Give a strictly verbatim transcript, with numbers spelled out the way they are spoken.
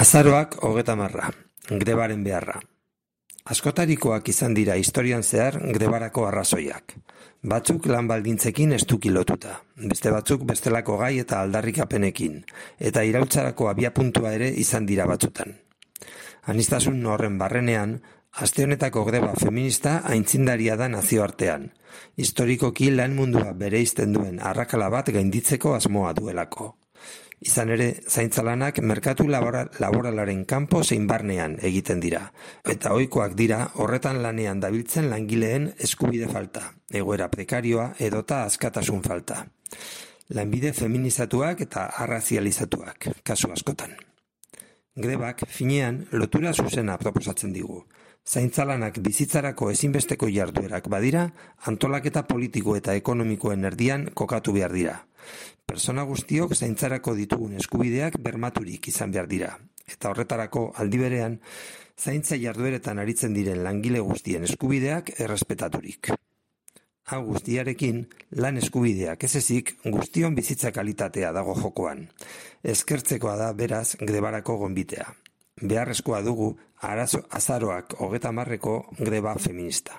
Azaroak hogeta marra, grebaren beharra. Askotarikoak izan dira historian zehar grebarako arrazoiak. Batzuk lan baldintzekin estuki lotuta, beste batzuk bestelako gai eta aldarrikapenekin, eta iraultzarako abiapuntua ere izan dira batzutan. Aniztasun horren barrenean, aste honetako greba feminista aitzindaria da nazioartean, historikoki lan mundua bereizten duen arrakala bat gainditzeko asmoa duelako. Izan ere, zaintzalanak merkatu labora, laboralaren kanpo zein barnean egiten dira, eta ohikoak dira horretan lanean dabiltzen langileen eskubide falta, egoera prekarioa edota askatasun falta. Lanbide feminizatuak eta arrazializatuak, kasu askotan. Grebak, finean, lotura zuzena proposatzen digu. Zaintzalanak bizitzarako ezinbesteko jarduerak badira, antolaketa politiko eta ekonomikoen erdian kokatu behar dira. Persona guztiok zaintzarako ditugun eskubideak bermaturik izan behar dira. Eta horretarako aldi berean, zaintza jardueretan aritzen diren langile guztien eskubideak errespetaturik. Hau guztiarekin, lan eskubideak ez ezik guztion bizitza kalitatea dago jokoan. Eskertzekoa da beraz grebarako gonbitea. Beharrezkoa dugu arazo azaroak hogeta marreko greba feminista.